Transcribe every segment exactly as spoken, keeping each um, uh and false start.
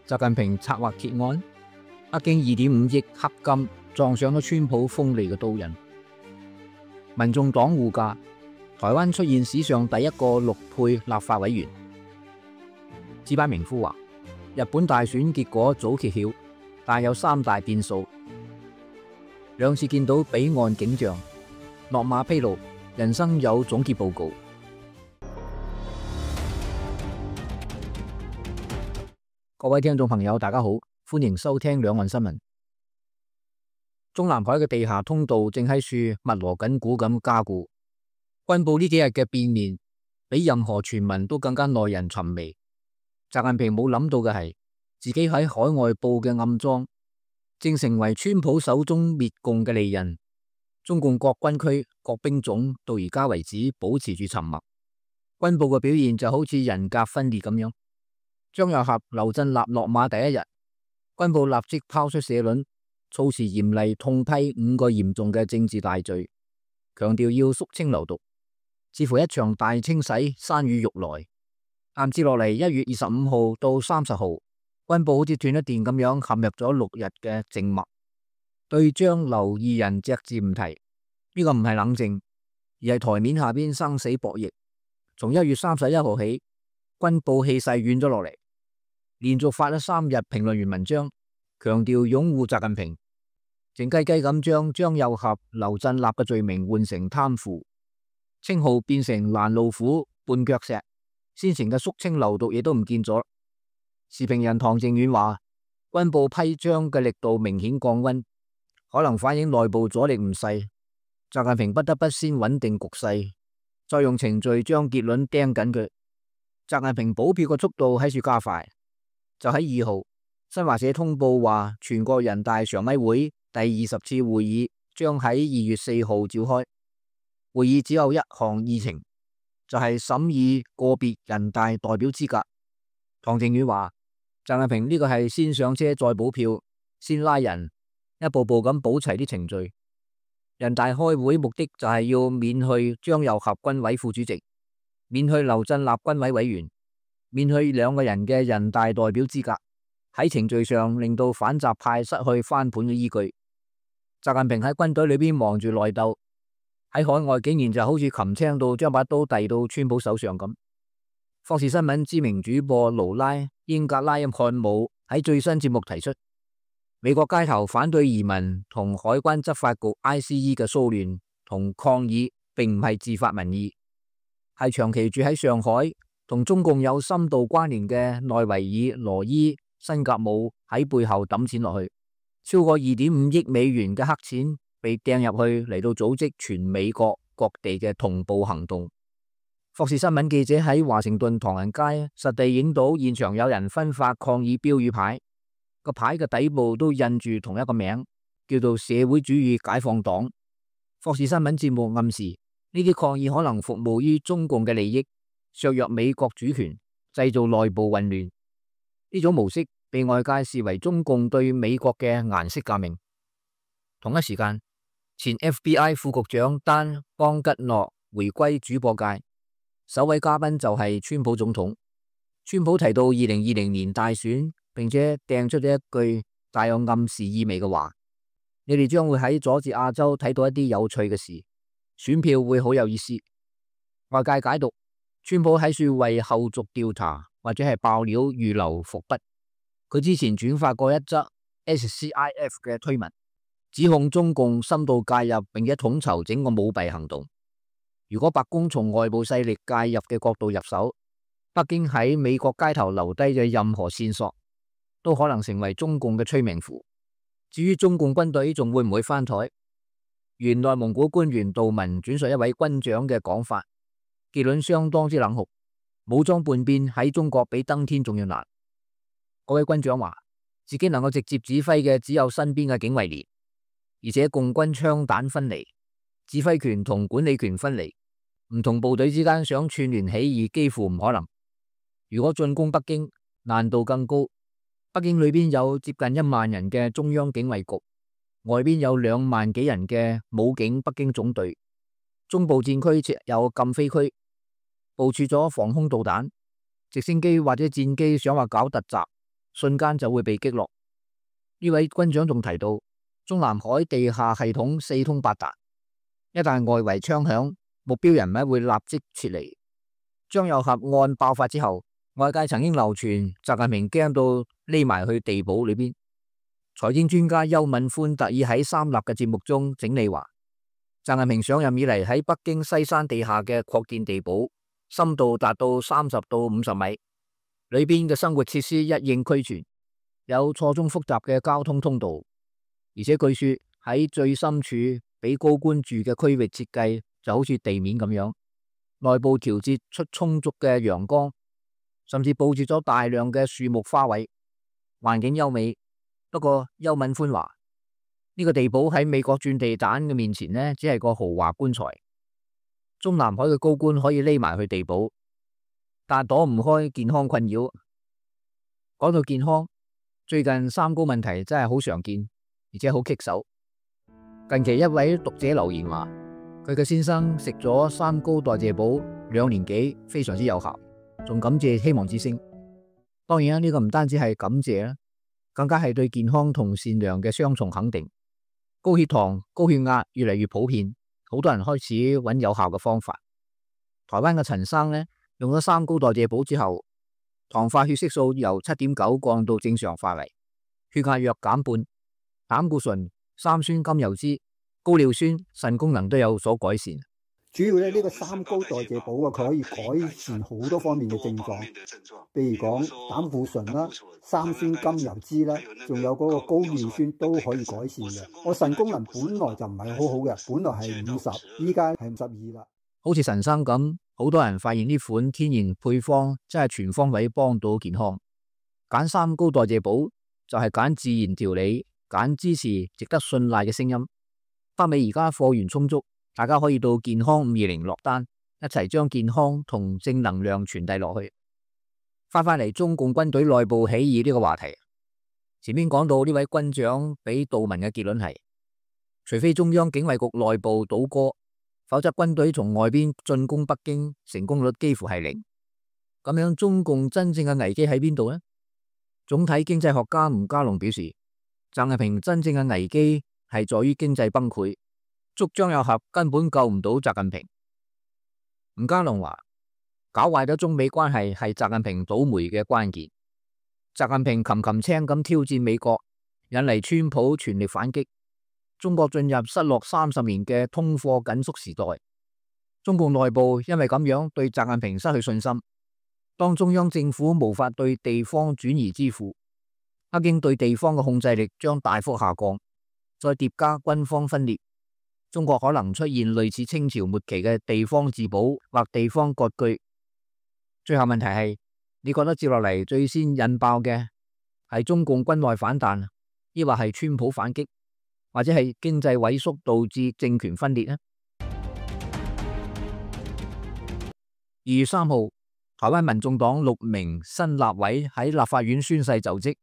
習近平策劃揭案，北京二點五億黑金撞上咗川普鋒利嘅刀刃。民眾黨護駕，台灣出現史上第一個陸配立法委員。知班名夫話：日本大選結果早揭曉，但有三大變數。兩次見到彼岸景象，落馬披露人生有總結報告。各位聽眾朋友，大家好，歡迎收聽兩岸新聞。中南海嘅地下通道正喺處密鑼緊鼓咁加固。軍部呢幾日嘅變臉，比任何傳聞都更加耐人尋味。習近平冇諗到嘅係，自己喺海外布嘅暗樁，正成為川普手中滅共嘅利刃。中共各軍區、各兵種到而家為止保持住沉默。軍部嘅表現就好似人格分裂咁樣。張又俠、劉振立落馬第一日，軍部立即拋出社論，措辭嚴厲痛批五個嚴重嘅政治大罪，強調要肅清流毒，似乎一場大清洗山雨欲來。啱接落嚟一月二十五號到三十號，軍部好似斷咗電咁樣陷入咗六日嘅靜默，對張劉二人隻字唔提。呢、這個唔係冷靜，而係台面下邊生死博弈。從一月三十一號起，軍部氣勢軟咗落嚟。連續發咗三日評論員文章，強調擁護習近平，靜雞雞咁將張又俠、劉振立嘅罪名換成貪腐，稱號變成攔路虎、絆腳石，先前嘅肅清流毒亦都唔見咗。時評人唐靖遠話，軍部批張嘅力度明顯降溫，可能反映內部阻力唔細。習近平不得不先穩定局勢，再用程序將結論釘緊佢。習近平補票嘅速度喺處加快。就喺二號，新華社通報話，全國人大常委會第二十次會議將喺二月四號召開。會議只有一項議程，就係審議個別人大代表資格。唐靖遠話，習近平呢個係先上車再補票，先拉人，一步步咁補齊啲程序。人大開會目的就係要免去張又俠軍委副主席，免去劉振立軍委委員，免去兩個人嘅人大代表資格，喺程序上令到反習派失去翻盤嘅依據。習近平喺軍隊裏邊忙住內鬥，喺海外竟然就好似擒青到將把刀遞到川普手上咁。霍士新聞知名主播勞拉英格拉漢姆喺最新節目提出，美國街頭反對移民同海關執法局 I C E 嘅騷亂同抗議，並唔係自發民意，係長期住喺上海同中共有深度關聯嘅內維爾、羅伊、辛格姆喺背後抌錢落去，超過二點五億美元嘅黑錢被掟入去嚟到組織全美國各地嘅同步行動。霍士新聞記者喺華盛頓唐人街實地影到現場有人分發抗議標語牌，個牌嘅底部都印住同一個名，叫做社會主義解放黨。霍士新聞節目暗示呢啲抗議可能服務於中共嘅利益，削弱美國主權，製造內部混亂。呢種模式被外界視為中共對美國嘅顏色革命。同一時間，前 F B I 副局長丹邦吉諾回歸主播界，首位嘉賓就係川普總統。川普提到二零二零年大選，並且掟出咗一句帶有暗示意味嘅話：你哋將會喺佐治亞州睇到一啲有趣嘅事，選票會好有意思。外界解讀，川普喺處為後續調查或者係爆料預留伏筆。佢之前轉發過一則 S C I F 嘅推文，指控中共深度介入並且統籌整個舞弊行動。如果白宮從外部勢力介入嘅角度入手，北京喺美國街頭留低嘅任何線索，都可能成為中共嘅催命符。至於中共軍隊仲會唔會翻台？原內蒙古官員杜文轉述一位軍長嘅講法，結論相當之冷酷。武裝叛變喺中國比登天仲要難。嗰位軍長話，自己能夠直接指揮嘅只有身邊嘅警衛連，而且共軍槍彈分離，指揮權同管理權分離，唔同部隊之間想串聯起義幾乎唔可能。如果進攻北京，難度更高。北京裏邊有接近一萬人嘅中央警衛局，外邊有兩萬幾人嘅武警北京總隊，中部戰區設有禁飛區，部署咗防空導彈，直升機或者戰機想話搞突襲，瞬間就會被擊落。呢位軍長仲提到，中南海地下系統四通八達，一旦外圍槍響，目標人物會立即撤離。張又俠案爆發之後，外界曾經流傳習近平驚到匿埋去地堡裏邊。財經專家邱敏寬特意喺三立嘅節目中整理話，習近平上任以嚟喺北京西山地下嘅擴建地堡，深度達到三十到五十米，裏邊嘅生活設施一應俱全，有錯綜複雜嘅交通通道，而且據說喺最深處俾高官住嘅區域設計就好似地面咁樣，內部調節出充足嘅陽光，甚至佈置咗大量嘅樹木花卉，環境優美。不過邱敏寬話，呢個地堡喺美國鑽地彈嘅面前呢，只係個豪華棺材。中南海嘅高官可以匿埋去地堡，但躲唔開健康困擾。講到健康，最近三高問題真係好常見，而且好棘手。近期一位讀者留言話，佢嘅先生食咗三高代謝寶兩年幾，非常之有效，仲感謝希望之聲。當然啦，呢個唔單止係感謝啦，更加係對健康同善良嘅雙重肯定。高血糖、高血壓越嚟越普遍，好多人開始揾有效嘅方法。台灣嘅陳生呢，用咗三高代謝寶之後，糖化血色素由七點九降到正常範圍，血壓約減半，膽固醇、三酸甘油酯、高尿酸、腎功能都有所改善。主要咧呢個三高代謝寶啊，佢可以改善好多方面嘅症狀，譬如講膽固醇啦、三酸甘油酯啦，仲有嗰個高尿酸都可以改善嘅。我腎功能本來就唔係好好嘅，本來係五十，依家係五十二啦。好似陳生咁，好多人發現呢款天然配方真係全方位幫到健康。揀三高代謝寶就係揀自然調理，揀支持值得信賴嘅聲音。北美而家貨源充足，大家可以到健康五二零落單，一齊將健康同正能量傳遞落去。翻返嚟中共軍隊內部起義呢個話題，前面講到呢位軍長俾杜文嘅結論係，除非中央警衛局內部倒戈，否則軍隊從外邊進攻北京成功率幾乎係零。咁樣中共真正嘅危機喺邊度呢？總體經濟學家吳家龍表示，習近平真正嘅危機係在於經濟崩潰，捉張又俠根本救唔到習近平。吳家龍話，搞壞咗中美關係係習近平倒霉嘅關鍵。習近平擒擒青咁挑戰美國，引嚟川普全力反擊，中國進入失落三十年嘅通貨緊縮時代。中共內部因為咁樣對習近平失去信心，當中央政府無法對地方轉移支付，北京對地方嘅控制力將大幅下降，再疊加軍方分裂，中國可能出現類似清朝末期嘅地方自保或地方割據。最後問題係，你覺得接落嚟最先引爆嘅係中共軍內反彈，抑或係川普反擊，或者係經濟萎縮導致政權分裂呢？二月三號，台灣民眾黨六名新立委喺立法院宣誓就職，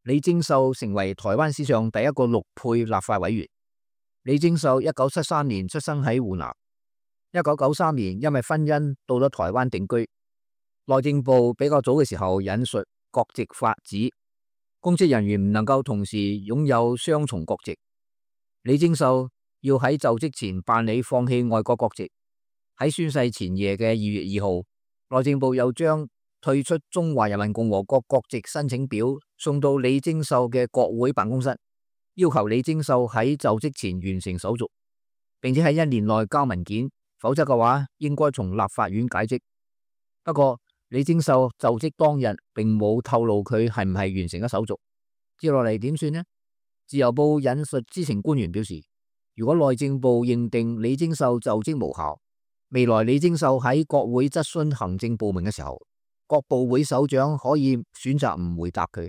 李貞秀成為台灣史上第一個陸配立法委員。李貞秀一九七三年出生喺湖南，一九九三年因為婚姻到咗台灣定居。內政部比較早嘅時候引述國籍法指，公職人員唔能夠同時擁有雙重國籍。李貞秀要喺就職前辦理放棄外國國籍。喺宣誓前夜嘅二月二號，內政部又將退出中華人民共和國國籍申請表送到李貞秀嘅國會辦公室，要求李貞秀喺就職前完成手續，並且喺一年內交文件，否則嘅話應該從立法院解職。不過李貞秀就職當日並冇透露佢係唔係完成咗手續。接落嚟點算呢？自由報引述知情官員表示，如果內政部認定李貞秀就職無效，未來李貞秀喺國會質詢行政部門嘅時候，各部會首長可以選擇唔回答佢。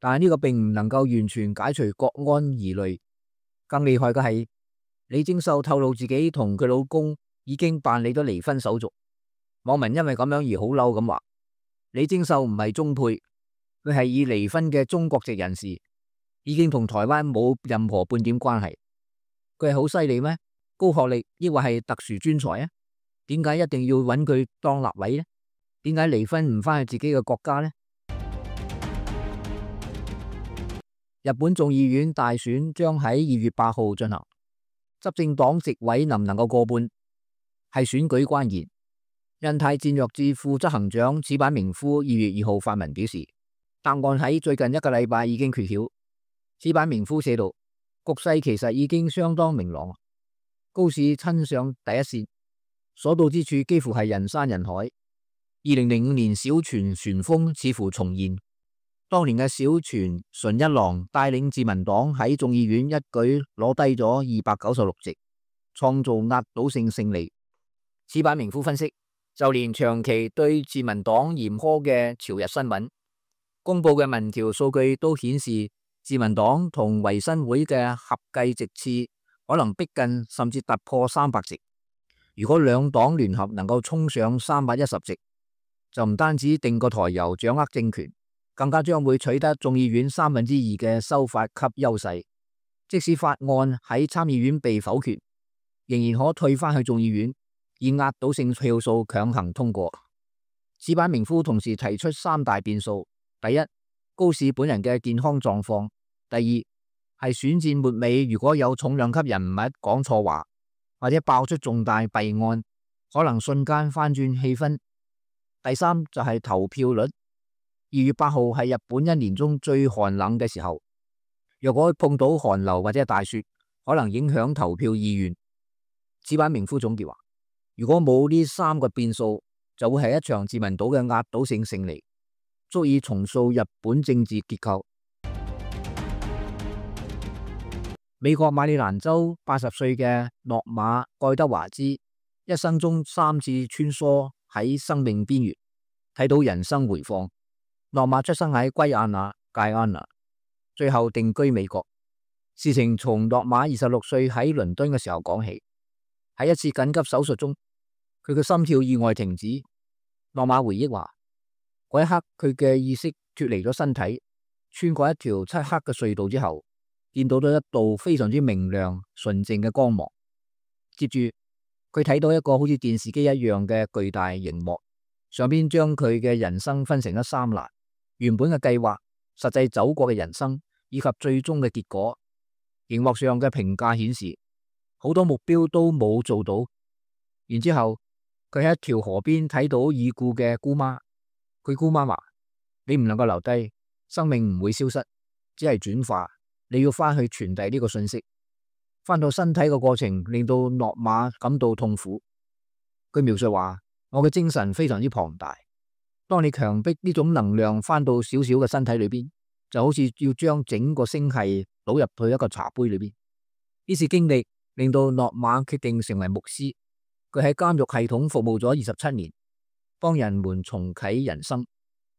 但係呢個並唔能夠完全解除國安疑慮。更厲害嘅係，李貞秀透露自己同佢老公已經辦理咗離婚手續。網民因為咁樣而好嬲咁話，李貞秀唔係中配，佢係已離婚嘅中國籍人士，已經同台灣冇任何半點關係。佢係好犀利咩？高學歷抑或係特殊專才啊？點解一定要揾佢當立委呢？點解離婚唔返去自己嘅國家呢？日本眾議院大選將喺二月八號進行，執政黨席位能唔能夠過半，係選舉關鍵。印太戰略智庫執行長矢板明夫二月二號發文表示，答案喺最近一個禮拜已經揭曉。矢板明夫寫道，局勢其實已經相當明朗，高市親上第一線，所到之處幾乎係人山人海。二零零五年小泉旋風似乎重現，當年嘅小泉純一郎帶領自民黨喺眾議院一舉攞低咗二百九十六席，創造壓倒性勝利。矢板明夫分析，就連長期對自民黨嚴苛嘅朝日新聞公布嘅民調數據都顯示，自民黨同維新會嘅合計席次可能逼近甚至突破三百席。如果兩黨聯合能夠衝上三百一十席，就唔單止定個台油掌握政權，更加將會取得眾議院三分之二嘅修法級優勢。即使法案喺參議院被否決，仍然可退返去眾議院，以壓倒性票數強行通過。矢板明夫同時提出三大變數：第一，高市本人嘅健康狀況；第二，係選戰末尾如果有重量級人物講錯話，或者爆出重大弊案，可能瞬間翻轉氣氛；第三就係投票率。二月八號係日本一年中最寒冷嘅時候，若果碰到寒流或者大雪，可能影響投票意願。矢板明夫總結話，如果冇呢三個變數，就會係一場自民黨嘅壓倒性勝利，足以重塑日本政治結構。美國馬里蘭州八十歲嘅諾馬蓋德華茲，一生中三次穿梭喺生命邊緣，睇到人生回放。諾馬出生喺圭亞那蓋亞那，最後定居美國。事情從諾馬二十六歲喺倫敦嘅時候講起。喺一次緊急手術中，佢嘅心跳意外停止。諾馬回憶話，嗰一刻佢嘅意識脫離咗身體，穿過一條漆黑嘅隧道之後，見到咗一道非常之明亮純淨嘅光芒。接住佢睇到一個好似電視機一樣嘅巨大熒幕，上邊將佢嘅人生分成咗三欄，原本嘅計劃、實際走過嘅人生以及最終嘅結果。熒幕上嘅評價顯示，好多目標都冇做到。然之後佢喺一條河邊睇到已故嘅姑媽，佢姑媽話，你唔能夠留低，生命唔會消失，只係轉化，你要翻去傳遞呢個信息。翻到身體嘅過程令到諾馬感到痛苦。佢描述話，我嘅精神非常之龐大，當你強迫呢種能量翻到小小嘅身體裏邊，就好似要將整個星系倒入去一個茶杯裏邊。呢次經歷令到諾馬決定成為牧師。佢喺監獄系統服務咗二十七年，幫人們重啟人生。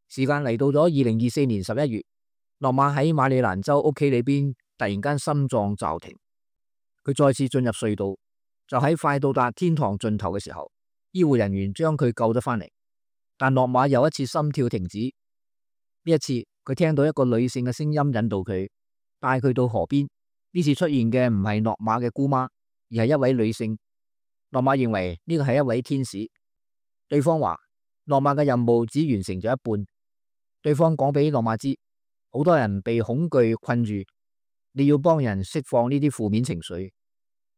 時間嚟到咗二零二四年十一月，諾馬喺馬里蘭州屋企裏邊突然間心臟驟停，佢再次進入隧道，就喺快到達天堂盡頭嘅時候，醫護人員將佢救咗翻嚟。但諾馬又一次心跳停止。呢一次佢聽到一個女性嘅聲音引導佢，帶佢到河邊。呢次出現嘅唔係諾馬嘅姑媽，而係一位女性。諾馬認為呢個係一位天使。對方話諾馬嘅任務只完成咗一半。對方講俾諾馬知，好多人被恐懼困住，你要幫人釋放呢啲負面情緒，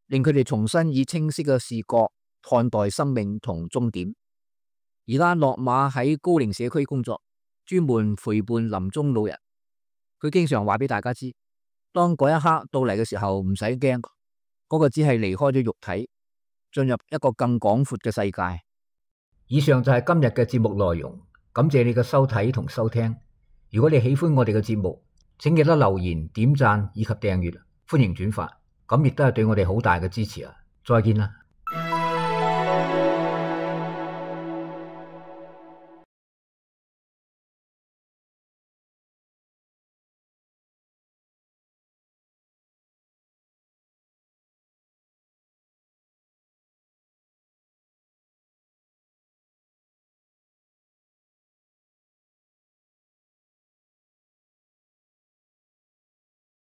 令佢哋重新以清晰嘅視覺看待生命同終點。而家諾馬喺高齡社區工作，專門陪伴臨終老人。佢經常話俾大家知，當嗰一刻到嚟嘅時候，唔使驚，嗰個只係離開咗肉體，進入一個更廣闊嘅世界。以上就係今日嘅節目內容，感謝你嘅收睇同收聽。如果你喜歡我哋嘅節目，請記得留言、點讚以及訂閱，歡迎轉發，咁亦都係對我哋好大嘅支持啊！再見啦。